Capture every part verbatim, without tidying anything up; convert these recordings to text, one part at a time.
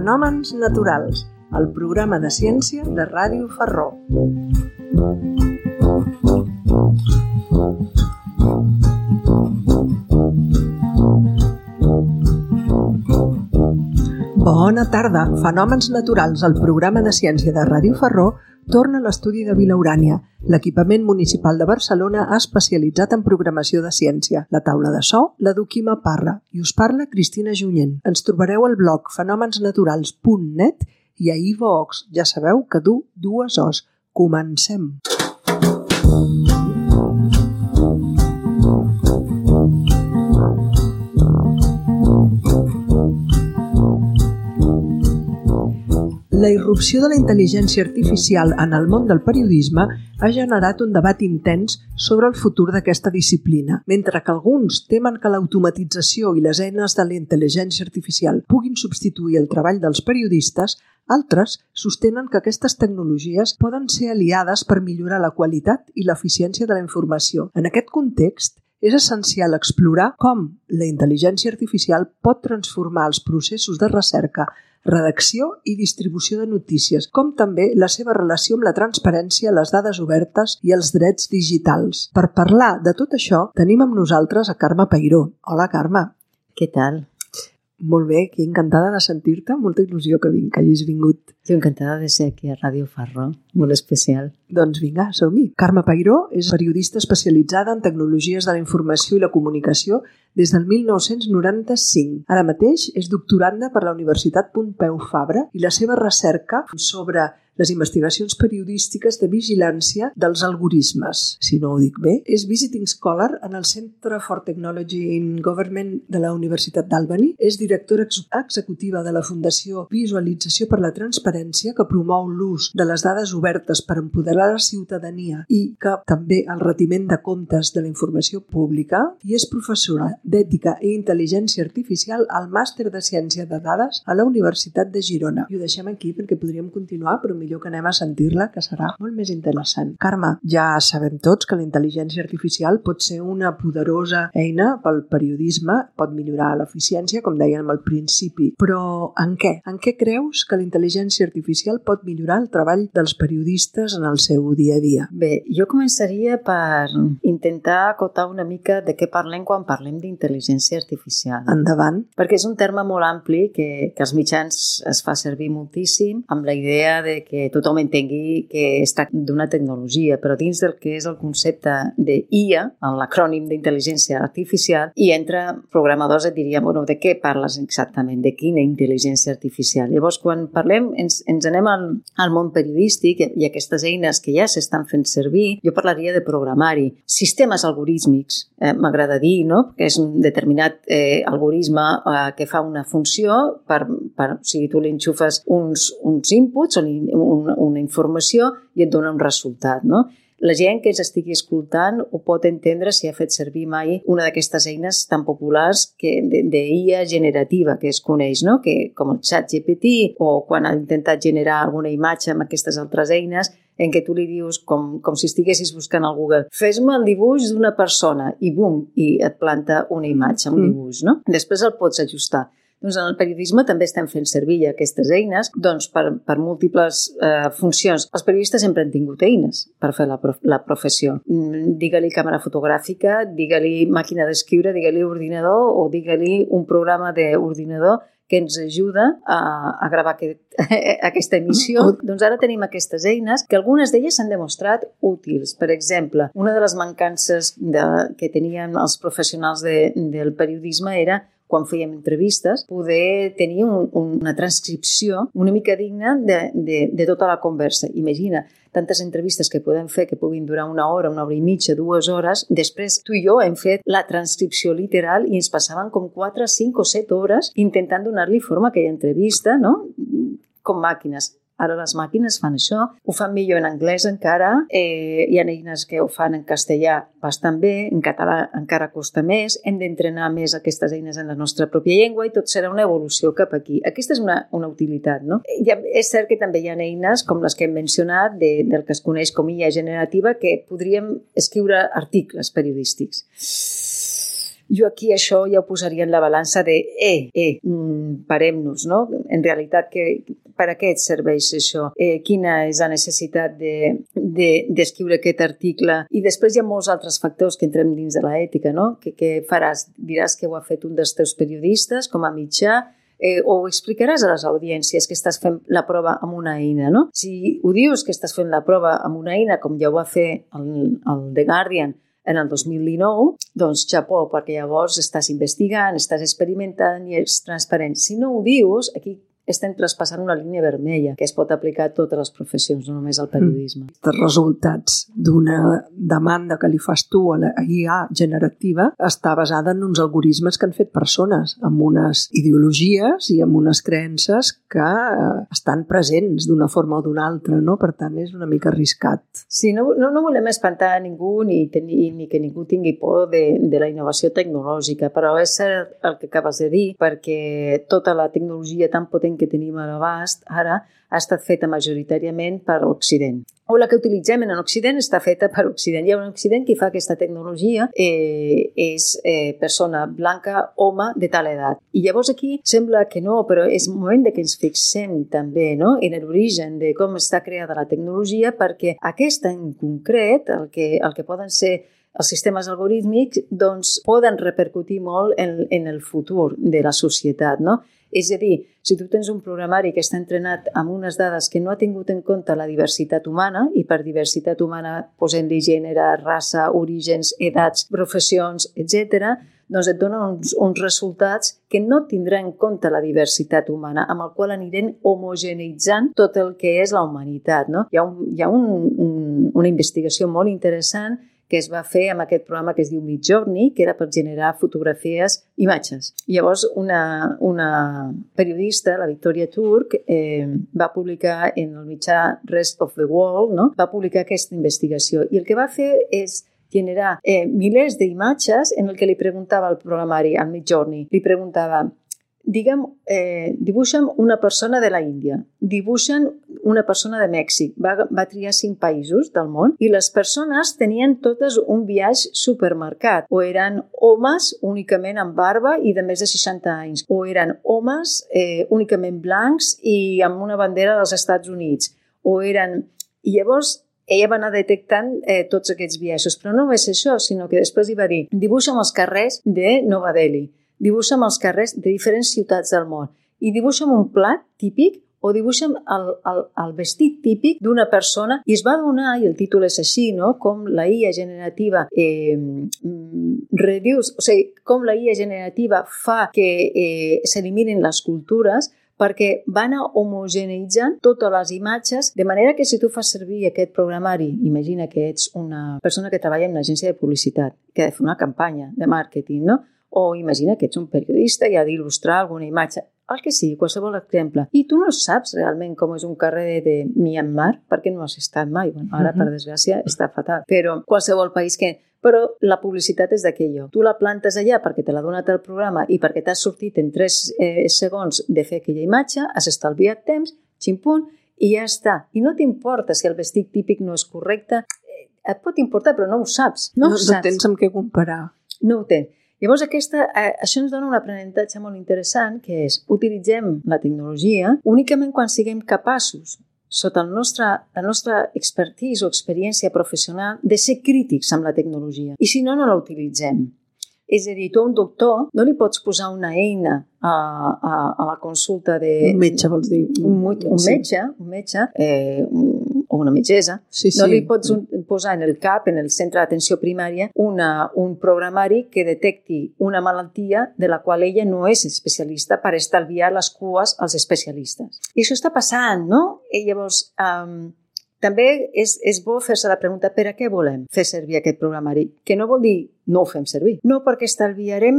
Fenòmens naturals, el programa de ciència de Ràdio Ferró. Bona tarda. Fenòmens naturals, el programa de ciència de Ràdio Ferró, torna a l'estudi de Vilaurània. L'equipament municipal de Barcelona ha especialitzat en programació de ciència. La taula de so la du Quima Parra i us parla Cristina Junyent. Ens trobareu al blog fenòmens naturals punt net i a iVoox. Ja sabeu que du dues os. Comencem! La irrupció de la intel·ligència artificial en el món del periodisme ha generat un debat intens sobre el futur d'aquesta disciplina. Mentre que alguns temen que l'automatització i les eines de la intel·ligència artificial puguin substituir el treball dels periodistes, altres sostenen que aquestes tecnologies poden ser aliades per millorar la qualitat i l'eficiència de la informació. En aquest context, és essencial explorar com la intel·ligència artificial pot transformar els processos de recerca, redacció i distribució de notícies, com també la seva relació amb la transparència, les dades obertes i els drets digitals. Per parlar de tot això, tenim amb nosaltres a Carme Peiró. Hola, Carme. Què tal? Molt bé, aquí encantada de sentir-te, molta il·lusió que vinc, que hagis vingut. Jo encantada de ser aquí a Ràdio Ferró, molt especial. Doncs vinga, som-hi. Carme Peiró és periodista especialitzada en tecnologies de la informació i la comunicació des del mil nou-cents noranta-cinc. Ara mateix és doctoranda per la Universitat Pompeu Fabra i la seva recerca sobre les investigacions periodístiques de vigilància dels algorismes. Si no ho dic bé, és Visiting Scholar en el Centre for Technology in Government de la Universitat d'Albany. És directora ex- executiva de la Fundació Visualització per la Transparència, que promou l'ús de les dades obertes per empoderar la ciutadania i que també el retiment de comptes de la informació pública, i és professora d'Ètica i Intel·ligència Artificial al Màster de Ciència de Dades a la Universitat de Girona. I ho deixem aquí perquè podríem continuar, però millor que anem a sentir-la, que serà molt més interessant. Carme, ja sabem tots que la intel·ligència artificial pot ser una poderosa eina pel periodisme, pot millorar l'eficiència, com dèiem al principi, però en què? En què creus que la intel·ligència artificial pot millorar el treball dels periodistes en el seu dia a dia? Bé, jo començaria per intentar acotar una mica de què parlem quan parlem d'intel·ligència artificial. Endavant. Perquè és un terme molt ampli que, que als mitjans es fa servir moltíssim amb la idea de que tothom entengui que es tracta d'una tecnologia, però dins del que és el concepte d'I A, l'acrònim d'intel·ligència artificial, hi entra programadors et dirien, bueno, de què parles exactament? De quina intel·ligència artificial? Llavors, quan parlem, ens, ens anem al, al món periodístic i aquestes eines que ja s'estan fent servir, jo parlaria de programari. Sistemes algorítmics, eh, m'agrada dir, no? Que és un determinat eh, algoritme eh, que fa una funció, per, per, o sigui, tu li enxufes uns, uns inputs o li, una, una informació i et dona un resultat, no? La gent que ens estigui escoltant ho pot entendre si ha fet servir mai una d'aquestes eines tan populars que d'I A generativa que es coneix, no? Que, com el ChatGPT, o quan ha intentat generar alguna imatge amb aquestes altres eines en què tu li dius, com, com si estiguessis buscant al Google, fes-me el dibuix d'una persona i bum, i et planta una imatge, un dibuix, no? Després el pots ajustar. Doncs en el periodisme també estem fent servir aquestes eines doncs per, per múltiples eh, funcions. Els periodistes sempre han tingut eines per fer la, prof, la professió. Digue-li càmera fotogràfica, digue-li màquina d'escriure, digue-li ordinador o digue-li un programa d'ordinador que ens ajuda a, a gravar aquest, aquesta emissió. Doncs ara tenim aquestes eines que algunes d'elles s'han demostrat útils. Per exemple, una de les mancances de, que tenien els professionals de, del periodisme era quan fèiem entrevistes, poder tenir un, una transcripció una mica digna de, de, de tota la conversa. Imagina, tantes entrevistes que podem fer que puguin durar una hora, una hora i mitja, dues hores, després tu i jo hem fet la transcripció literal i ens passaven com quatre, cinc o set hores intentant donar-li forma a aquella entrevista, no? Com màquines. Ara les màquines fan això, ho fan millor en anglès encara, eh, hi ha eines que ho fan en castellà bastant bé, en català encara costa més, hem d'entrenar més aquestes eines en la nostra pròpia llengua i tot serà una evolució cap aquí. Aquesta és una, una utilitat, no? Ja, és cert que també hi ha eines com les que hem mencionat, de, del que es coneix com I A generativa, que podríem escriure articles periodístics. Jo aquí això ja ho posaria en la balança de eh, eh, mm, parem-nos, no? En realitat, que, per a què et serveix això? Eh, quina és la necessitat de, de, d'escriure aquest article? I després hi ha molts altres factors que entrem dins de l'ètica, no? Que, que faràs? Diràs que ho ha fet un dels teus periodistes com a mitjà, eh, o explicaràs a les audiències que estàs fent la prova amb una eina, no? Si ho dius que estàs fent la prova amb una eina, com ja ho va fer el, el The Guardian en el dos mil dinou, doncs xapó, perquè llavors estàs investigant, estàs experimentant i ets transparent. Si no ho dius, aquí estem traspassant una línia vermella que es pot aplicar a totes les professions, no només al periodisme. Mm. Els resultats d'una demanda que li fas tu a la I A generativa està basada en uns algoritmes que han fet persones, amb unes ideologies i amb unes creences que estan presents d'una forma o d'una altra, no? Per tant, és una mica arriscat. Sí, no, no, no volem espantar a ningú ni, tenir, ni que ningú tingui por de, de la innovació tecnològica, però és cert el que acabes de dir, perquè tota la tecnologia tan potent que tenim a l'abast ara ha estat feta majoritàriament per l'Occident. O la que utilitzem en l'Occident està feta per l'Occident. Hi ha un Occident que fa aquesta tecnologia, eh, és eh, persona blanca, home de tal edat. I llavors aquí sembla que no, però és moment de que ens fixem també, no?, en l'origen de com està creada la tecnologia, perquè aquesta en concret, el que, el que poden ser els sistemes algorítmics, doncs poden repercutir molt en, en el futur de la societat, no? És a dir, si tu tens un programari que està entrenat amb unes dades que no ha tingut en compte la diversitat humana, i per diversitat humana posem-li gènere, raça, orígens, edats, professions, etcètera, doncs et dona uns, uns resultats que no tindrà en compte la diversitat humana, amb el qual anirem homogeneitzant tot el que és la humanitat, no? Hi ha, un, hi ha un, un, una investigació molt interessant que es va fer amb aquest programa que es diu Midjourney, que era per generar fotografies, imatges. Llavors, una, una periodista, la Victoria Turk, eh, va publicar en el mitjà Rest of the World, no?, va publicar aquesta investigació. I el que va fer és generar eh, milers d'imatges en el que li preguntava al programari, al Midjourney, li preguntava, digue'm, eh, dibuixa'm una persona de la Índia, dibuixa'm una persona de Mèxic. Va, va triar cinc països del món i les persones tenien totes un viatge supermarcat. O eren homes únicament amb barba i de més de seixanta anys, o eren homes eh, únicament blancs i amb una bandera dels Estats Units, o eren... I llavors ella va anar detectant eh, tots aquests biaixos, però no només això, sinó que després li va dir, dibuixa'm els carrers de Nova Delhi, dibuixa'm els carrers de diferents ciutats del món i dibuixa'm un plat típic o dibuixa'm el, el, el vestit típic d'una persona. I es va donar, i el títol és així, no?, com la I A generativa eh, reduce, o sigui, com la I A generativa fa que eh, s'eliminin les cultures, perquè van a homogeneitzant totes les imatges, de manera que si tu fas servir aquest programari, imagina que ets una persona que treballa en una agència de publicitat, que ha de fer una campanya de màrqueting, no?, o imagina que ets un periodista i ha d'il·lustrar alguna imatge, el que sigui, qualsevol exemple, i tu no saps realment com és un carrer de Myanmar, perquè no has estat mai. Bueno, ara, per desgràcia, està fatal. Però qualsevol país que... Però la publicitat és d'aquell. Tu la plantes allà perquè te l'ha donat el programa i perquè t'has sortit en tres eh, segons de fer aquella imatge, has estalviat temps, ximpunt, i ja està. I no t'importa si el vestit típic no és correcte. Et pot importar, però no ho saps. No, no, ho saps. No tens amb què comparar. No ho tens. Llavors, aquesta, eh, això ens dona un aprenentatge molt interessant, que és utilitzem la tecnologia únicament quan siguem capaços, sota el nostre, la nostra expertise o experiència professional, de ser crítics amb la tecnologia. I si no, no la utilitzem. És a dir, tu a un doctor no li pots posar una eina a, a, a la consulta de... Un metge, vols dir. Un, un metge, un metge eh, o una metgessa. Sí, sí. No li pots un, posar en el CAP, en el centre d'atenció primària, una, un programari que detecti una malaltia de la qual ella no és especialista per estalviar les cues als especialistes. I això està passant, no? I llavors... Um, També és, és bo fer-se la pregunta per a què volem fer servir aquest programari, que no vol dir no ho fem servir. No, perquè estalviarem,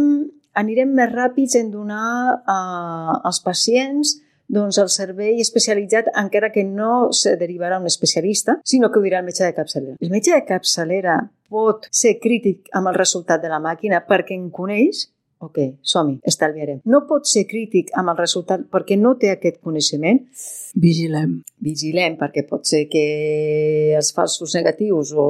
anirem més ràpids en donar uh, als pacients doncs, el servei especialitzat, encara que no se derivarà un especialista, sinó que ho dirà el metge de capçalera. El metge de capçalera pot ser crític amb el resultat de la màquina perquè en coneix ok, som-hi, estalviarem. No pot ser crític amb el resultat perquè no té aquest coneixement. Vigilem. Vigilem, perquè pot ser que els falsos negatius o,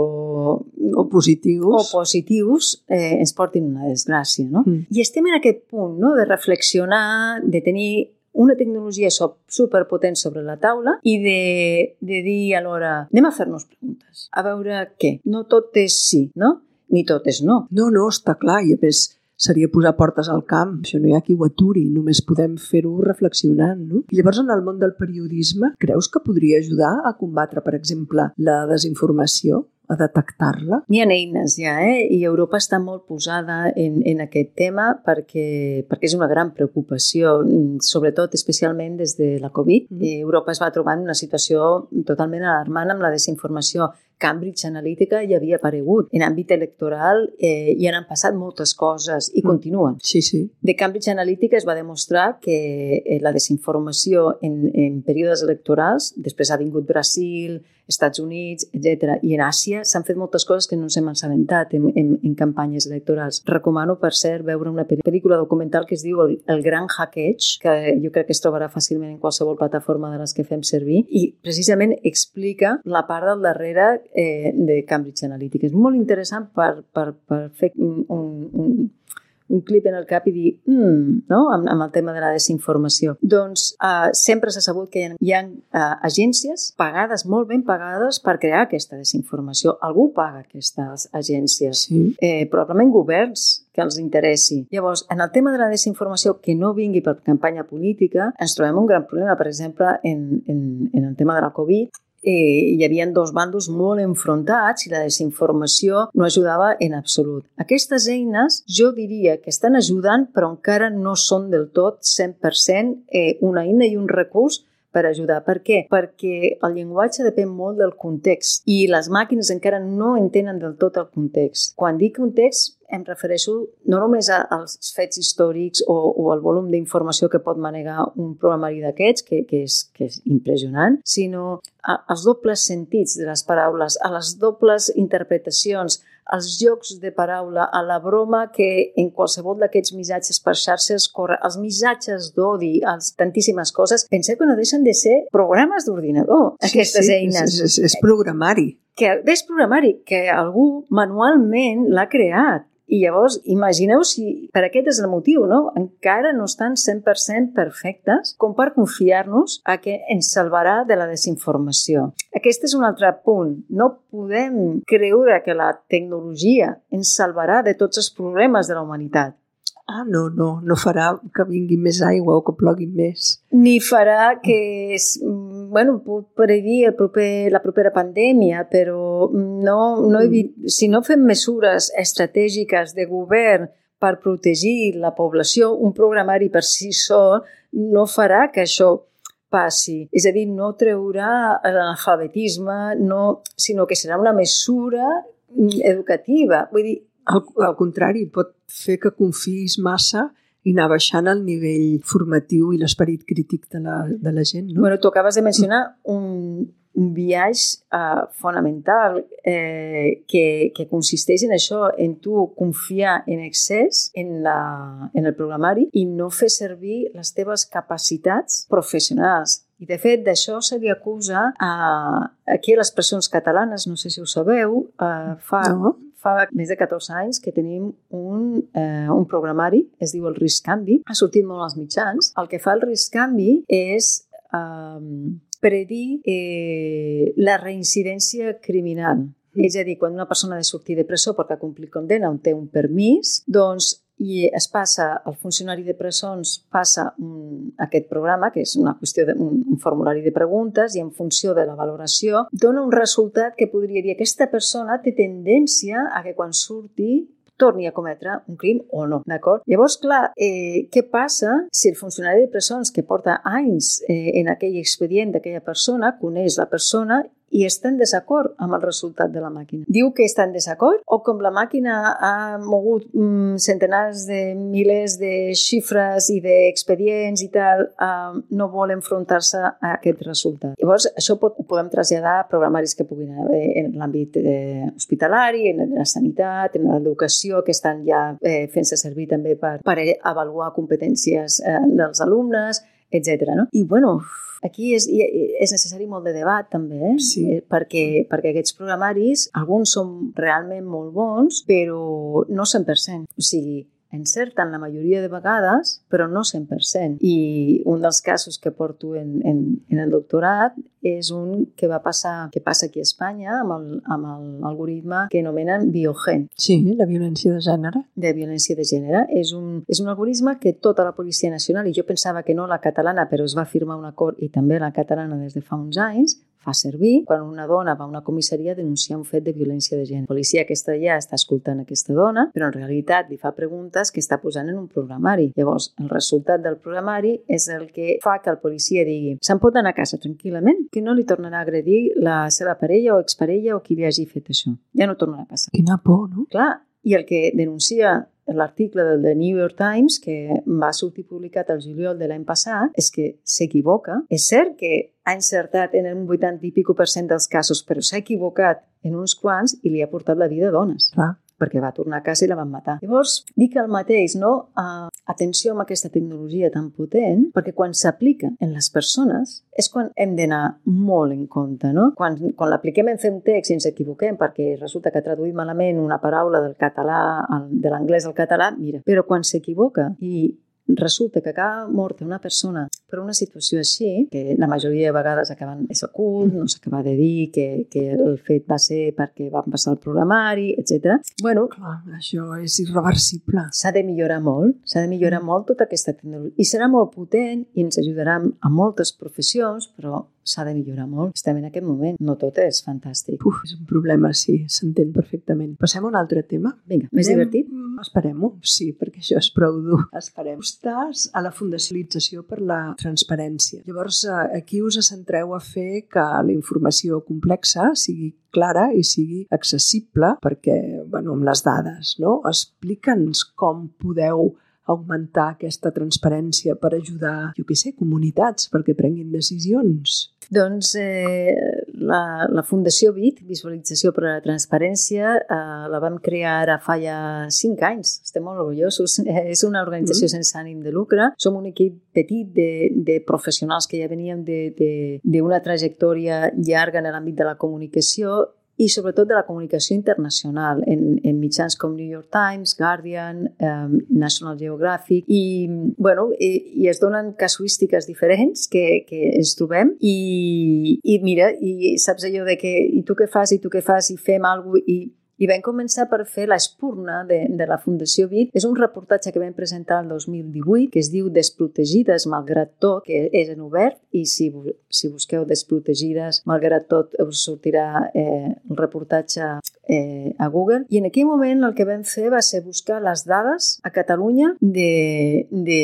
o positius, o positius eh, ens portin una desgràcia, no? Mm. I estem en aquest punt, no?, de reflexionar, de tenir una tecnologia superpotent sobre la taula i de, de dir alhora, anem a fer-nos preguntes, a veure què. No tot és sí, no? Ni tot és no. No, no, està clar, i a més seria posar portes al camp. Això no hi ha qui ho aturi, només podem fer-ho reflexionant, no? I llavors, en el món del periodisme, creus que podria ajudar a combatre, per exemple, la desinformació? A detectar-la? N'hi ha eines ja, eh? I Europa està molt posada en, en aquest tema perquè, perquè és una gran preocupació, sobretot, especialment des de la Covid. Mm. Europa es va trobar en una situació totalment alarmant amb la desinformació. Cambridge Analytica ja havia aparegut. En àmbit electoral eh, hi han passat moltes coses i mm. continuen. Sí, sí. De Cambridge Analytica es va demostrar que eh, la desinformació en, en períodes electorals, després ha vingut Brasil, Estats Units, etcètera. I en Àsia s'han fet moltes coses que no ens hem assabentat en, en, en campanyes electorals. Recomano, per cert, veure una pel·lícula documental que es diu El, el Gran Hackeig, que jo crec que es trobarà fàcilment en qualsevol plataforma de les que fem servir, i precisament explica la part del darrere eh, de Cambridge Analytica. És molt interessant per, per, per fer un, un, un clip en el cap i dir, mm, no?, amb, amb el tema de la desinformació. Doncs eh, sempre s'ha sabut que hi ha, hi ha eh, agències pagades, molt ben pagades, per crear aquesta desinformació. Algú paga aquestes agències. Sí. Eh, probablement governs que els interessi. Llavors, en el tema de la desinformació que no vingui per campanya política, ens trobem un gran problema. Per exemple, en, en, en el tema de la Covid, Eh, hi havia dos bandos molt enfrontats i la desinformació no ajudava en absolut. Aquestes eines jo diria que estan ajudant, però encara no són del tot cent per cent eh, una eina i un recurs per ajudar. Per què? Perquè el llenguatge depèn molt del context i les màquines encara no entenen del tot el context. Quan dic context, em refereixo no només als fets històrics o, o al volum d'informació que pot manegar un programari d'aquests, que, que, és, que és impressionant, sinó a, als dobles sentits de les paraules, a les dobles interpretacions, als jocs de paraula, a la broma que en qualsevol d'aquests missatges per xarxes corre, als missatges d'odi, als tantíssimes coses. Penseu que no deixen de ser programes d'ordinador, aquestes sí, sí, eines. És, és, és programari. Que és programari, que algú manualment l'ha creat. I llavors, imagineu si per aquest és el motiu, no? Encara no estan cent per cent perfectes com per confiar-nos a que ens salvarà de la desinformació. Aquest és un altre punt. No podem creure que la tecnologia ens salvarà de tots els problemes de la humanitat. Ah, no, no, no farà que vingui més aigua o que plogui més. Ni farà que, es, bueno, puc predir el proper, la propera pandèmia, però no, no evit, si no fem mesures estratègiques de govern per protegir la població, un programari per si sol no farà que això passi. És a dir, no treurà l'analfabetisme, no, sinó que serà una mesura educativa. Vull dir, Al, al contrari, pot fer que confiïs massa i anar baixant el nivell formatiu i l'esperit crític de la, de la gent, no? Bueno, tu acabes de mencionar un, un viatge uh, fonamental eh, que, que consisteix en això, en tu confiar en excés en, la, en el programari i no fer servir les teves capacitats professionals. I, de fet, d'això se li acusa a, aquí a les presons catalanes, no sé si ho sabeu, uh, fa... No. Fa més de catorze anys que tenim un, eh, un programari, es diu el RiscCanvi, ha sortit molt als mitjans. El que fa el RiscCanvi és eh, predir eh, la reincidència criminal. Mm. És a dir, quan una persona ha de sortir de presó perquè ha complit condemna on té un permís, doncs i es passa, el funcionari de presons passa un, aquest programa, que és una qüestió de, un, un formulari de preguntes, i en funció de la valoració dona un resultat que podria dir que aquesta persona té tendència a que quan surti torni a cometre un crim o no, d'acord? Llavors, clar, eh, què passa si el funcionari de presons que porta anys eh, en aquell expedient d'aquella persona coneix la persona i està en desacord amb el resultat de la màquina. Diu que està en desacord o com la màquina ha mogut mm, centenars de milers de xifres i d'expedients i tal, eh, no vol enfrontar-se a aquest resultat. Llavors, això pot, ho podem traslladar a programaris que puguin haver en l'àmbit eh, hospitalari, en la sanitat, en l'educació, que estan ja eh, fent-se servir també per, per avaluar competències eh, dels alumnes, etcètera. No? I, bueno, aquí és, és necessari molt de debat, també, eh? Sí. perquè, perquè aquests programaris, alguns són realment molt bons, però no cent per cent. O sigui, encerten la majoria de vegades, però no cent per cent. I un dels casos que porto en, en, en el doctorat és un que va passar, que passa aquí a Espanya amb l'algoritme que anomenen Biogen. Sí, la violència de gènere. De violència de gènere. És un, és un algoritme que tota la Policia Nacional, i jo pensava que no la catalana, però es va firmar un acord, i també la catalana des de fa uns anys, fa servir quan una dona va a una comissaria a denunciar un fet de violència de gènere. La policia aquesta ja està escoltant aquesta dona, però en realitat li fa preguntes que està posant en un programari. Llavors, el resultat del programari és el que fa que el policia digui se'n pot anar a casa tranquil·lament, que no li tornarà a agredir la seva parella o exparella o qui li hagi fet això. Ja no tornarà a passar. Quina por, no? Clar, i el que denuncia l'article del The New York Times, que va sortir publicat el juliol de l'any passat, és que s'equivoca. És cert que ha encertat en un vuitanta i pico per cent dels casos, però s'ha equivocat en uns quants i li ha portat la vida a dones. Clar. Perquè va tornar a casa i la van matar. Llavors, dic el mateix, no? Uh, atenció amb aquesta tecnologia tan potent, perquè quan s'aplica en les persones és quan hem d'anar molt en compte, no? Quan, quan l'apliquem en fer un text i ens equivoquem perquè resulta que ha traduït malament una paraula del català, de l'anglès al català, mira. Però quan s'equivoca i resulta que acaba morta una persona per una situació així, que la majoria de vegades acaben és ocult, no s'acaba de dir que, que el fet va ser perquè van passar el programari, etcètera. Bueno, clar, això és irreversible. S'ha de millorar molt, s'ha de millorar molt tota aquesta tecnologia. I serà molt potent i ens ajudarà a moltes professions, però s'ha de millorar molt. Estem en aquest moment. No tot és fantàstic. Uf, és un problema, sí, s'entén perfectament. Passem a un altre tema. Vinga, més Anem... divertit? Esperem-ho, sí, perquè això és prou dur. Esperem. Estàs a la Fundacionalització per la Transparència. Llavors, aquí us centreu a fer que la informació complexa sigui clara i sigui accessible perquè, bueno, amb les dades, no? Explica'ns com podeu augmentar aquesta transparència per ajudar, jo què sé, comunitats perquè prenguin decisions. Doncs eh, la, la Fundació V I T, Visualització per a la Transparència, eh, la vam crear ara fa ja cinc anys. Estem molt orgullosos. És una organització mm. sense ànim de lucre. Som un equip petit de, de professionals que ja veníem d'una trajectòria llarga en l'àmbit de la comunicació i sobretot de la comunicació internacional en, en mitjans com New York Times, Guardian, um, National Geographic i, bueno, i, i es donen casuístiques diferents que, que ens trobem i, i mira, i saps allò de que i tu què fas, i tu què fas, i fem alguna cosa, i I vam començar per fer l'espurna de, de la Fundació V I T. És un reportatge que vam presentar el dos mil divuit que es diu Desprotegides malgrat tot, que és en obert i si, si busqueu Desprotegides malgrat tot us sortirà eh, el reportatge eh, a Google. I en aquell moment el que vam fer va ser buscar les dades a Catalunya de, de,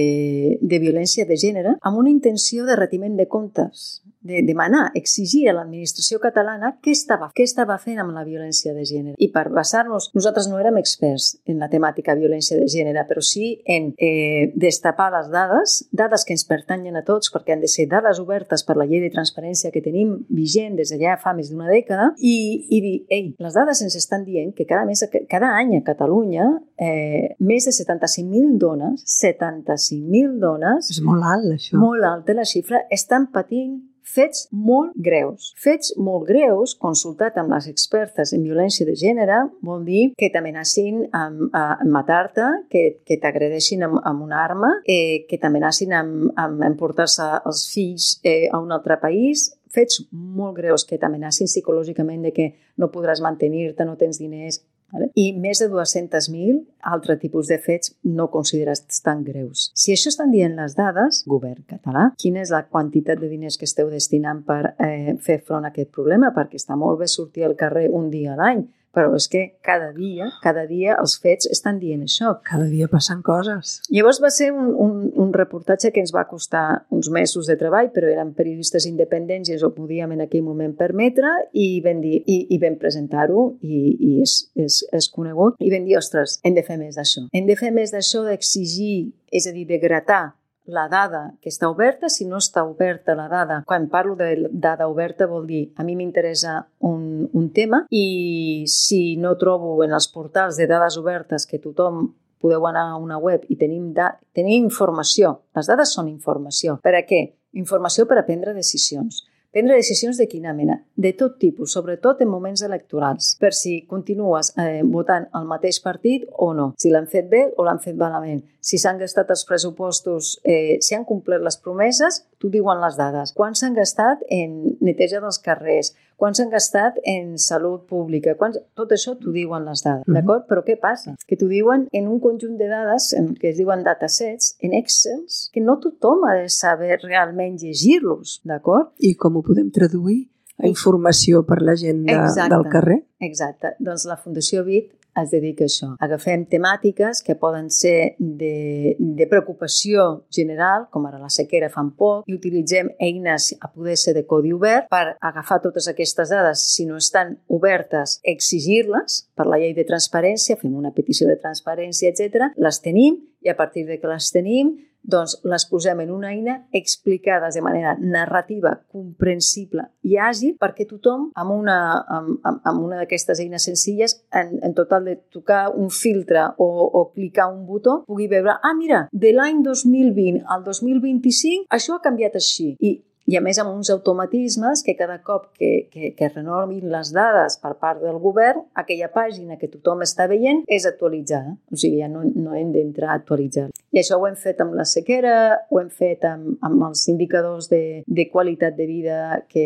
de violència de gènere amb una intenció de retiment de comptes, de demanar, exigir a l'administració catalana què estava, què estava fent amb la violència de gènere. I per basar-nos, nosaltres no érem experts en la temàtica violència de gènere, però sí en eh, destapar les dades, dades que ens pertanyen a tots, perquè han de ser dades obertes per la llei de transparència que tenim vigent des de ja fa més d'una dècada, i, i dir, ei, les dades ens estan dient que cada, mes, cada any a Catalunya eh, més de setanta-cinc mil dones, setanta-cinc mil dones... És molt alt, això. Molt alta la xifra, estan patint fets molt greus. Fets molt greus, consultat amb les expertes en violència de gènere, vol dir que t'amenacin amb, amb matar-te, que, que t'agredeixin amb, amb una arma, eh, que t'amenacin amb, amb emportar-se els fills eh, a un altre país, fets molt greus que t'amenacin psicològicament de que no podràs mantenir-te, no tens diners, vale? I més de dos-cents mil altre tipus de fets no considerats tan greus. Si això estan dient les dades, govern català, quina és la quantitat de diners que esteu destinant per eh, fer front a aquest problema? Perquè està molt bé sortir al carrer un dia a l'any, però és que cada dia, cada dia els fets estan dient això. Cada dia passen coses. Llavors va ser un, un, un reportatge que ens va costar uns mesos de treball, però eren periodistes independents i ens ho podíem en aquell moment permetre i vam, dir, i, i vam presentar-ho i, i és, és, és conegut i vam dir, ostres, hem de fer més d'això. Hem de fer més d'això d'exigir, és a dir, de gratar la dada que està oberta, si no està oberta la dada. Quan parlo de dada oberta vol dir, a mi m'interessa un, un tema i si no trobo en els portals de dades obertes que tothom podeu anar a una web i tenim, da- tenim informació. Les dades són informació. Per a què? Informació per a prendre decisions. Prendre decisions de quina mena? De tot tipus, sobretot en moments electorals, per si continues eh, votant el mateix partit o no, si l'han fet bé o l'han fet malament, si s'han gastat els pressupostos, eh, si han complert les promeses, t'ho diuen les dades. Quants s'han gastat en neteja dels carrers? Quants s'han gastat en salut pública? Quants... Tot això t'ho diuen les dades, mm-hmm. d'acord? Però què passa? Que t'ho diuen en un conjunt de dades, en que es diuen datasets, en Excel, que no tothom ha de saber realment llegir-los, d'acord? I com ho podem traduir a informació per la gent de, del carrer? Exacte. Doncs la Fundació B I T es dedica a això. Agafem temàtiques que poden ser de, de preocupació general, com ara la sequera fa poc, i utilitzem eines a poder ser de codi obert per agafar totes aquestes dades. Si no estan obertes, exigir-les per la llei de transparència, fem una petició de transparència, etcètera. Les tenim i a partir de que les tenim, doncs les posem en una eina explicades de manera narrativa, comprensible i àgil perquè tothom amb una, amb, amb una d'aquestes eines senzilles, en, en total de tocar un filtre o, o clicar un botó, pugui veure, ah, mira, de l'any dos mil vint al dos mil vint-i-cinc això ha canviat així. I I a més amb uns automatismes que cada cop que, que, que renovin les dades per part del govern, aquella pàgina que tothom està veient és actualitzada. O sigui, ja no, no hem d'entrar a actualitzar. I això ho hem fet amb la sequera, ho hem fet amb, amb els indicadors de, de qualitat de vida que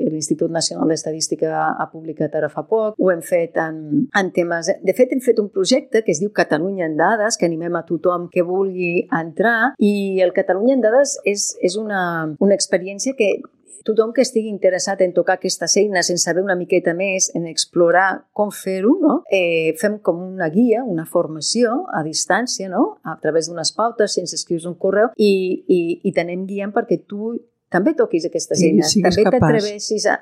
l'Institut Nacional d'Estadística ha publicat ara fa poc, ho hem fet en, en temes... De fet, hem fet un projecte que es diu Catalunya en Dades, que animem a tothom que vulgui entrar, i el Catalunya en Dades és, és una, una experiència que tothom que estigui interessat en tocar aquestes eines, en saber una miqueta més, en explorar com fer-ho, no? eh, fem com una guia, una formació a distància, no? A través d'unes pautes, sense escriure un correu, i, i, i t'anem guiant perquè tu també toquis aquestes eines, sí, també t'atreveixis a,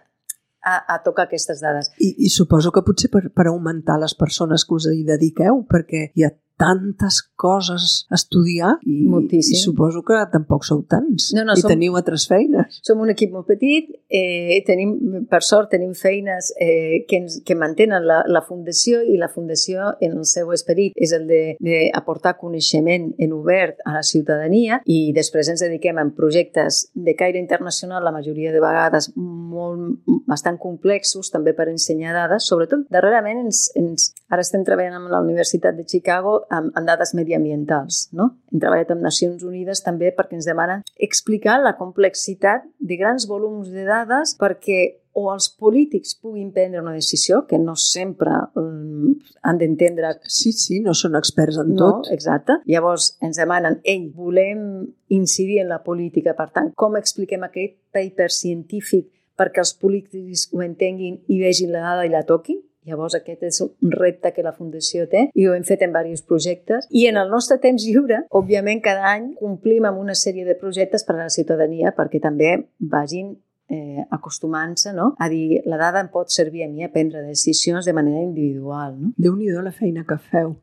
a, a tocar aquestes dades. I, i suposo que potser per, per augmentar les persones que us hi dediqueu, perquè hi ha tantes coses a estudiar i, i suposo que tampoc sou tants no, no, i som, teniu altres feines. Som un equip molt petit, eh, tenim, per sort tenim feines eh, que, ens, que mantenen la, la Fundació i la Fundació en el seu esperit és el d'aportar coneixement en obert a la ciutadania i després ens dediquem a projectes de caire internacional, la majoria de vegades molt, bastant complexos també per ensenyar dades, sobretot darrerament ens, ens, ara estem treballant amb la Universitat de Chicago amb, amb dades mediambientals, no? Hem treballat amb Nacions Unides també perquè ens demanen explicar la complexitat de grans volums de dades perquè o els polítics puguin prendre una decisió, que no sempre um, han d'entendre... Sí, sí, no són experts en no, tot. Exacte. Llavors ens demanen, ei, volem incidir en la política, per tant, com expliquem aquest paper científic perquè els polítics ho entenguin i vegin la dada i la toquin? Llavors aquest és un repte que la Fundació té i ho hem fet en diversos projectes. I en el nostre temps lliure, òbviament cada any complim amb una sèrie de projectes per a la ciutadania perquè també vagin eh, acostumant-se, no? A dir, la dada em pot servir a mi a prendre decisions de manera individual. No? Déu-n'hi-do la feina que feu.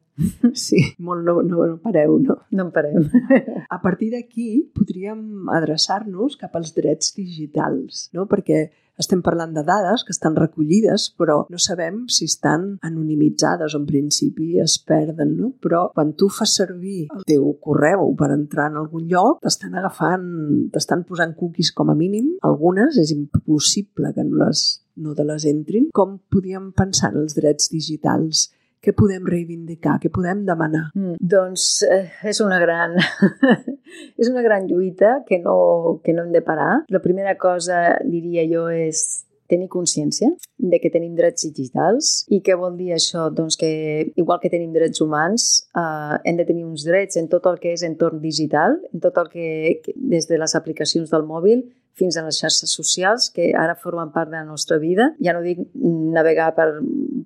Sí, molt no, no, no pareu, no? No en parem. A partir d'aquí podríem adreçar-nos cap als drets digitals, no? Perquè estem parlant de dades que estan recollides, però no sabem si estan anonimitzades o en principi es perden, no? Però quan tu fas servir el teu correu per entrar en algun lloc, t'estan agafant, t'estan posant cookies com a mínim. Algunes és impossible que no, les, no te les entrin. Com podíem pensar en els drets digitals? Què podem reivindicar? Què podem demanar? Mm, doncs eh, és una gran és una gran lluita que no, que no hem de parar. La primera cosa, diria jo, és tenir consciència de que tenim drets digitals. I què vol dir això? Doncs que, igual que tenim drets humans, eh, hem de tenir uns drets en tot el que és entorn digital, en tot el que, des de les aplicacions del mòbil fins a les xarxes socials, que ara formen part de la nostra vida. Ja no dic navegar per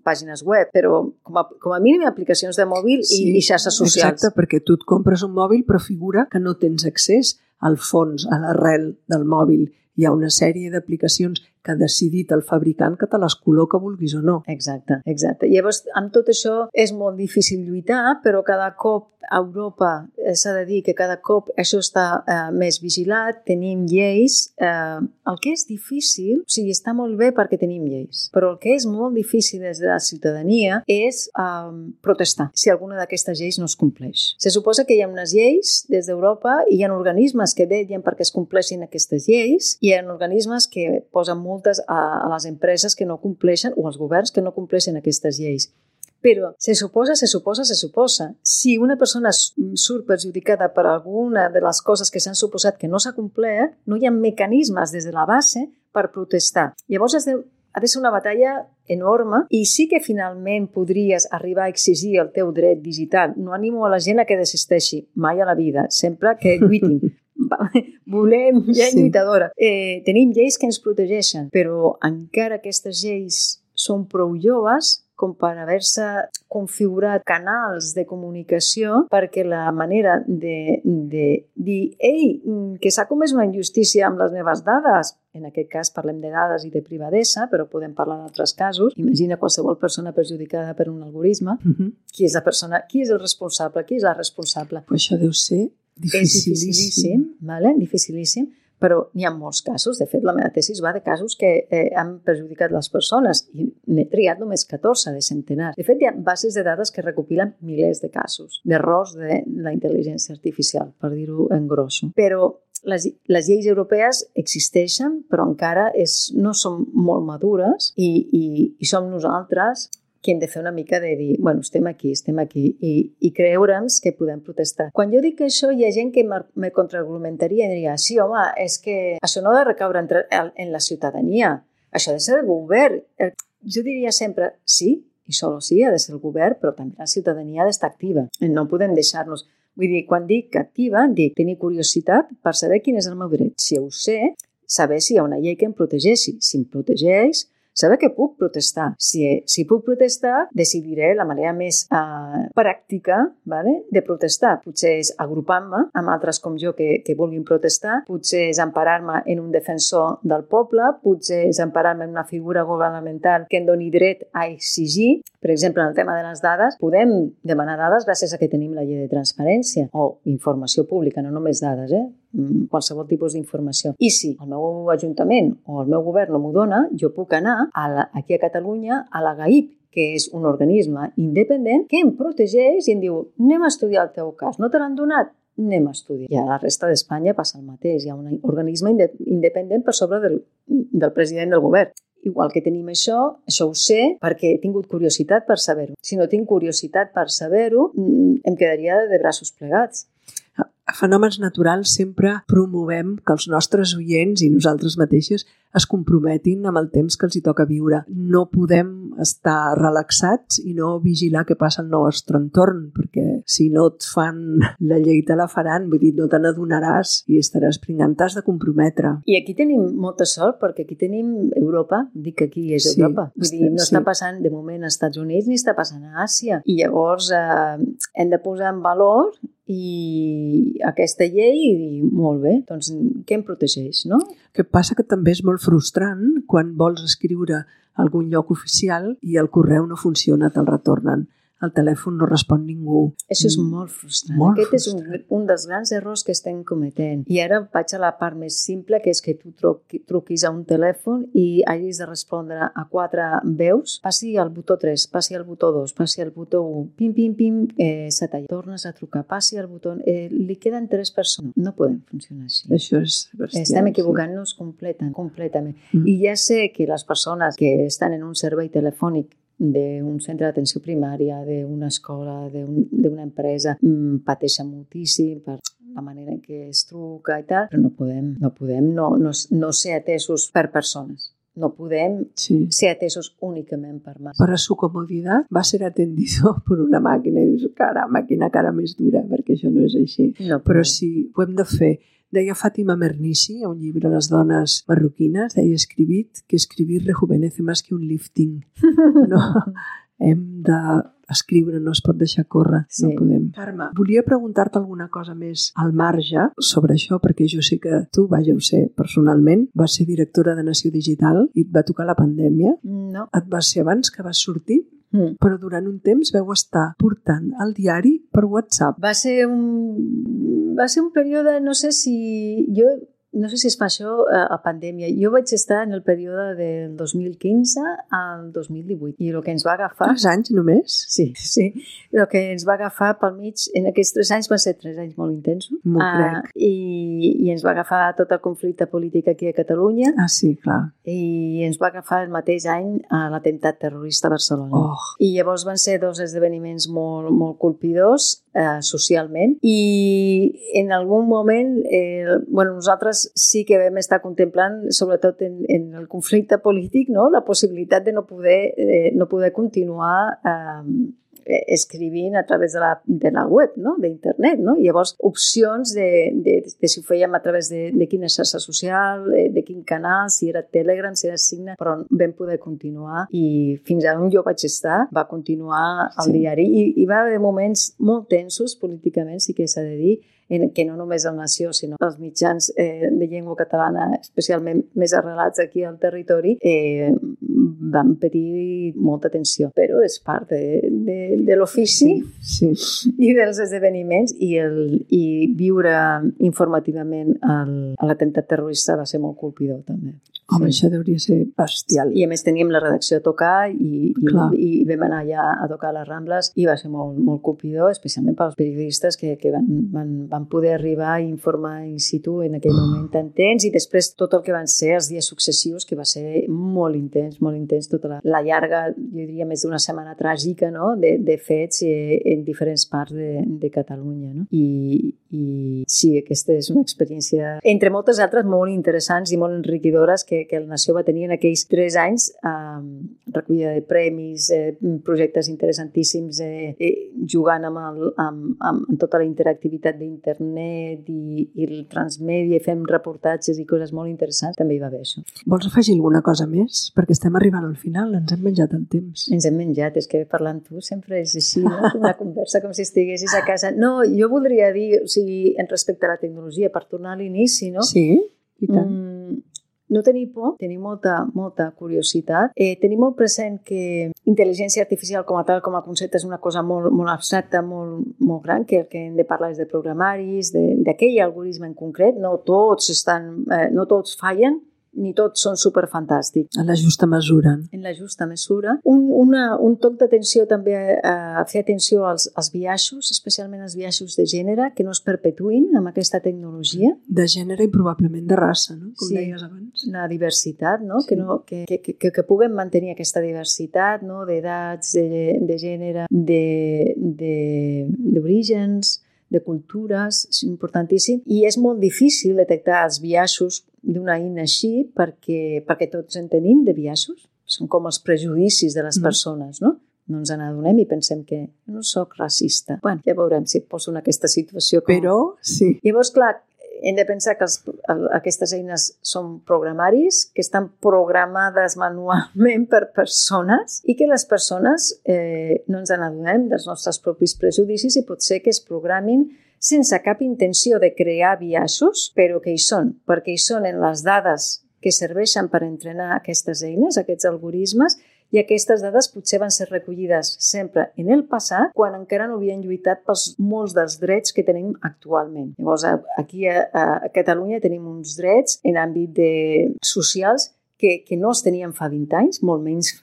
pàgines web, però com a, com a mínim aplicacions de mòbil sí, i, i xarxes socials. Exacte, perquè tu et compres un mòbil però figura que no tens accés al fons, a l'arrel del mòbil. Hi ha una sèrie d'aplicacions que ha decidit el fabricant que te les col·loca vulguis o no. Exacte, exacte. Llavors, amb tot això és molt difícil lluitar, però cada cop a Europa s'ha de dir que cada cop això està eh, més vigilat, tenim lleis. Eh, el que és difícil, o sigui, està molt bé perquè tenim lleis, però el que és molt difícil des de la ciutadania és eh, protestar si alguna d'aquestes lleis no es compleix. Se suposa que hi ha unes lleis des d'Europa i hi ha organismes que vetllen perquè es compleixin aquestes lleis i hi ha organismes que posen multes a, a les empreses que no compleixen o als governs que no compleixen aquestes lleis. Però se suposa, se suposa, se suposa. Si una persona surt perjudicada per alguna de les coses que s'han suposat que no s'ha complert, no hi ha mecanismes des de la base per protestar. Llavors has de, ha de ser una batalla enorme i sí que finalment podries arribar a exigir el teu dret digital. No animo a la gent a que desisteixi mai a la vida, sempre que lluitin. Volem gent sí. lluitadora. Eh, tenim lleis que ens protegeixen, però encara aquestes lleis són prou joves com per haver-se configurat canals de comunicació perquè la manera de, de dir ei, que s'ha comès una injustícia amb les meves dades, en aquest cas parlem de dades i de privadesa, però podem parlar d'altres casos. Imagina qualsevol persona perjudicada per un algoritme. Uh-huh. Qui és la persona? Qui és el responsable? Qui és la responsable? Però això deu ser dificilíssim. És dificilíssim, vale? Dificilíssim, però n'hi ha molts casos. De fet, la meva tesis va de casos que eh, han perjudicat les persones i n'he triat només catorze de centenars. De fet, hi ha bases de dades que recopilen milers de casos d'errors de la intel·ligència artificial, per dir-ho en grosso. Però les, les lleis europees existeixen, però encara és, no són molt madures i, i, i som nosaltres que hem de fer una mica de dir, bueno, estem aquí, estem aquí, i, i creure'ns que podem protestar. Quan jo dic això, hi ha gent que me contraargumentaria i diria, sí, home, és que això no ha de recaure entre, en la ciutadania, això ha de ser el govern. Jo diria sempre, sí, i solo sí, ha de ser el govern, però també la ciutadania ha d'estar activa. No podem deixar-nos... Vull dir, quan dic activa, dic tenir curiositat per saber quin és el meu dret. Si ho sé, saber si hi ha una llei que em protegeixi. Si em protegeix, saber que puc protestar. Si, si puc protestar, decidiré la manera més uh, pràctica, vale, de protestar. Potser és agrupant-me amb altres com jo que, que vulguin protestar, potser és emparar-me en un defensor del poble, potser és emparar-me en una figura governamental que em doni dret a exigir. Per exemple, en el tema de les dades, podem demanar dades gràcies a que tenim la llei de transparència o informació pública, no només dades, eh? Qualsevol tipus d'informació. I si el meu ajuntament o el meu govern no m'ho dona, jo puc anar a la, aquí a Catalunya a la GAIP, que és un organisme independent que em protegeix i em diu anem a estudiar el teu cas. No te l'han donat? Anem a estudiar. I a la resta d'Espanya passa el mateix. Hi ha un organisme independent per sobre del, del president del govern. Igual que tenim això, això ho sé perquè he tingut curiositat per saber-ho. Si no tinc curiositat per saber-ho, em quedaria de braços plegats. A Fenòmens Naturals sempre promovem que els nostres oients i nosaltres mateixes es comprometin amb el temps que els hi toca viure. No podem estar relaxats i no vigilar què passa al nostre entorn, perquè si no et fan la llei te la faran, vull dir, no te n'adonaràs i estaràs pringant, t'has de comprometre. I aquí tenim molta sort, perquè aquí tenim Europa, dic que aquí és Europa. Sí, vull dir, no sí. està passant de moment als Estats Units ni està passant a Àsia. I llavors eh, hem de posar en valor i aquesta llei i dir, molt bé, doncs què em protegeix, no? Que passa que també és molt frustrant quan vols escriure a algun lloc oficial i el correu no funciona, te'l retornen. El telèfon no respon ningú. Això és molt frustrant. Molt Aquest frustrant. és un, un dels grans errors que estem cometent. I ara vaig a la part més simple, que és que tu truqui, truquis a un telèfon i hagis de respondre a quatre veus. Passi al botó tres, passi al botó dos, passi al botó u, pim, pim, pim, eh, s'ha tallat. Tornes a trucar, passi al botó... Eh, li queden tres persones. No podem funcionar així. Això és bestial. Estem equivocant-nos sí. completament. completament. Mm. I ja sé que les persones que estan en un servei telefònic d'un centre d'atenció primària, d'una escola, d'una empresa, pateixen moltíssim per la manera en què es truca i tal, però no podem, no, podem no, no, no ser atesos per persones. No podem sí. ser atesos únicament per màquina. Para su comodidad va a ser atendido por una màquina. I dius, cara, màquina cara més dura, perquè això no és així. No però si ho hem de fer Deia Fàtima Mernissi, a un llibre de les dones marroquines, deia escribit que escribir rejuvenece más que un lifting. No, hem d'escriure, no es pot deixar córrer, sí. No podem. Carme, volia preguntar-te alguna cosa més al marge sobre això, perquè jo sé que tu, vaja, ho sé personalment, vas ser directora de Nació Digital i et va tocar la pandèmia. No. Et va ser abans que vas sortir? Mm. Però durant un temps veu estar portant el diari per WhatsApp. Va ser un, va ser un període, no sé si... Jo no sé si es fa això a, a pandèmia. Jo vaig estar en el període del dos mil quinze al dos mil divuit i el que ens va agafar... Tres anys només? Sí, sí. El que ens va agafar pel mig, en aquests tres anys van ser tres anys molt intensos. M'ho crec. Uh, i, I ens va agafar tot el conflicte polític aquí a Catalunya. Ah, sí, clar. I ens va agafar el mateix any a l'atemptat terrorista a Barcelona. Oh. I llavors van ser dos esdeveniments molt, molt colpidors eh, socialment i en algun moment eh, bueno, nosaltres sí que vam estar contemplant, sobretot en, en el conflicte polític, no? La possibilitat de no poder, eh, no poder continuar eh, escrivint a través de la, de la web, no? D'internet, no? I llavors opcions de, de, de si ho fèiem a través de, de quina xarxa social, de, de quin canal, si era Telegram, si era Signal, però vam poder continuar i fins a on jo vaig estar va continuar el sí. diari i, i va haver moments molt tensos políticament, sí que s'ha de dir, en, que no només el Nació, sinó els mitjans eh, de llengua catalana, especialment més arrelats aquí al territori, eh, van patir molta tensió. Però és part de, de, de l'ofici sí, sí. i dels esdeveniments i, el, i viure informativament el, l'atemptat terrorista va ser molt colpidor també. Home, sí. Això hauria ser bestial. I a més teníem la redacció a tocar i, i, i vam anar allà a tocar a les Rambles i va ser molt, molt colpidor, especialment pels periodistes que, que van, van, van poder arribar a informar in situ en aquell moment tan tens i després tot el que van ser els dies successius, que va ser molt intens, molt intens, tota la, la llarga, jo diria més d'una setmana tràgica, no? de, de fets eh, en diferents parts de, de Catalunya. No? I, I sí, aquesta és una experiència, entre moltes altres, molt interessants i molt enriquidores que, que el Nació va tenir en aquells tres anys, eh, recollida de premis, eh, projectes interessantíssims, eh, eh, jugant amb, el, amb, amb, amb tota la interactivitat d'internet i, i el transmèdia, i fem reportatges i coses molt interessants, també hi va haver això. Vols afegir alguna cosa més? Perquè estem arribant al final, ens hem menjat el temps. Ens hem menjat, és que parlant tu sempre és així, no? Una conversa com si estiguessis a casa. No, jo voldria dir, o sigui, en respecte a la tecnologia, per tornar a l'inici, no? Sí, i tant. Mm, no tenir por, tenir molta, molta curiositat. Eh, tenir molt present que intel·ligència artificial com a tal, com a concepte, és una cosa molt, molt abstracta, molt, molt gran, que el que hem de parlar és de programaris, d'aquell algoritme en concret. No tots estan, eh, no tots fallen, ni tots són superfantàstics. En la justa mesura. En la justa mesura. Un, una, un toc d'atenció també a, a fer atenció als, als biaixos, especialment als biaixos de gènere, que no es perpetuïn amb aquesta tecnologia. De gènere i probablement de raça, no? Com sí, deies abans. La diversitat, no? Sí. Que, no que, que, que, que puguem mantenir aquesta diversitat, no? D'edats, de, de gènere, d'orígens, de, de, de cultures, és importantíssim. I és molt difícil detectar els biaixos d'una eina així perquè, perquè tots en tenim de biaixos. Són com els prejudicis de les mm. persones, no? No ens n'adonem i pensem que no soc racista. Bueno, ja veurem si et poso en aquesta situació. Com... Però, sí. Llavors, clar, hem de pensar que els, aquestes eines són programaris, que estan programades manualment per persones i que les persones eh, no ens n'adonem dels nostres propis prejudicis i pot ser que es programin sense cap intenció de crear biaixos, però que hi són, perquè hi són en les dades que serveixen per entrenar aquestes eines, aquests algoritmes, i aquestes dades potser van ser recollides sempre en el passat, quan encara no havien lluitat pels molts dels drets que tenim actualment. Llavors, aquí a, a Catalunya tenim uns drets en àmbit de socials que, que no els teníem fa vint anys, molt menys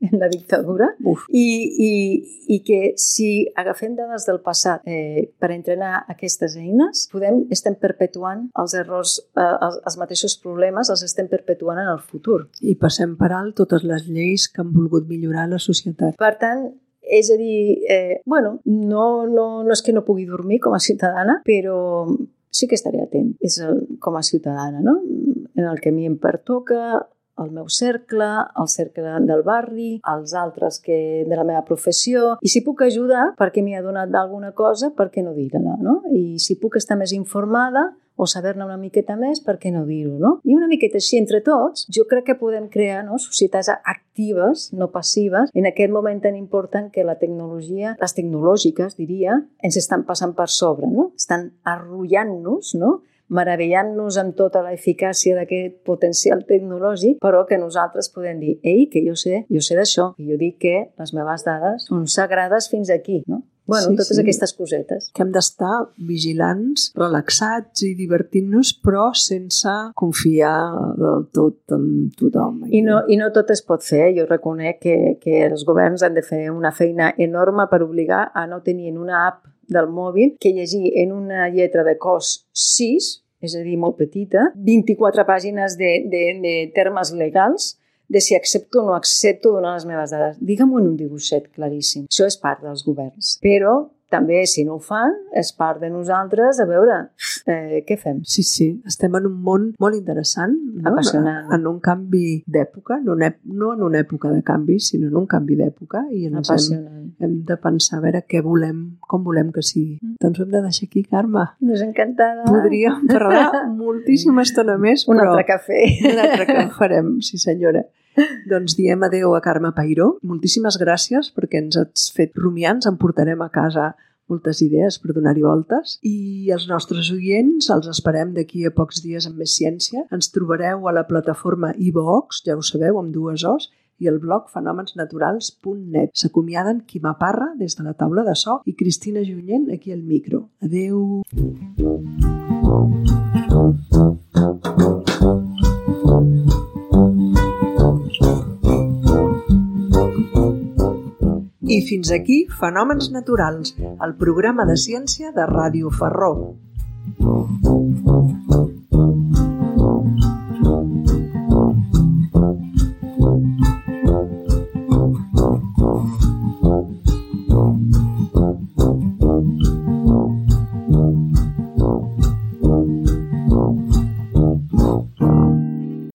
en la dictadura, I, i, i que si agafem dades del passat eh, per entrenar aquestes eines, podem, estem perpetuant els errors, eh, els, els mateixos problemes, els estem perpetuant en el futur. I passem per alt totes les lleis que han volgut millorar la societat. Per tant, és a dir, eh, bueno, no, no, no és que no pugui dormir com a ciutadana, però sí que estaré atent és el, com a ciutadana, no? En el que a mi em pertoca, el meu cercle, el cercle del barri, els altres que de la meva professió, i si puc ajudar perquè m'hi ha donat d'alguna cosa, per què no dir-la, no? I si puc estar més informada o saber-ne una miqueta més, per què no dir-ho, no? I una miqueta així entre tots, jo crec que podem crear, no, societats actives, no passives, en aquest moment tan important que la tecnologia, les tecnològiques, diria, ens estan passant per sobre, no? Estan arrullant-nos, no? Meravellant-nos amb tota l'eficàcia d'aquest potencial tecnològic, però que nosaltres podem dir, ei, que jo sé, jo sé d'això, i jo dic que les meves dades són sagrades fins aquí, no? Bueno, sí, totes sí. Aquestes cosetes. Que hem d'estar vigilants, relaxats i divertint-nos, però sense confiar del tot en tothom. I no, i no tot es pot fer. Jo reconec que, que els governs han de fer una feina enorme per obligar a no tenir en una app del mòbil que llegir en una lletra de cos sis, és a dir, molt petita, vint-i-quatre pàgines de, de, de termes legals, de si accepto o no accepto donar les meves dades. Digue-m'ho en un dibuixet claríssim. Això és part dels governs. Però també, si no ho fan, és part de nosaltres a veure eh, què fem. Sí, sí. Estem en un món molt interessant, no? Apassionant. En un canvi d'època, no, no en una època de canvi, sinó en un canvi d'època, i ens hem, hem de pensar a veure què volem, com volem que sigui. Mm. Doncs ho hem de deixar aquí, Carme. Doncs encantada. Podríem parlar moltíssima estona més, un però... altre cafè. Un altre que farem, sí senyora. Doncs diem adeu a Carme Peiró. Moltíssimes gràcies perquè ens has fet rumiar, ens en portarem a casa moltes idees per donar-hi voltes. I els nostres oients els esperem d'aquí a pocs dies amb més ciència. Ens trobareu a la plataforma iVox, ja ho sabeu, amb dues O's, i el blog fenòmens naturals punt net. S'acomiaden Quima Parra des de la taula de so i Cristina Junyent aquí al micro. Adeu! I fins aquí Fenòmens Naturals, el programa de ciència de Ràdio Ferró.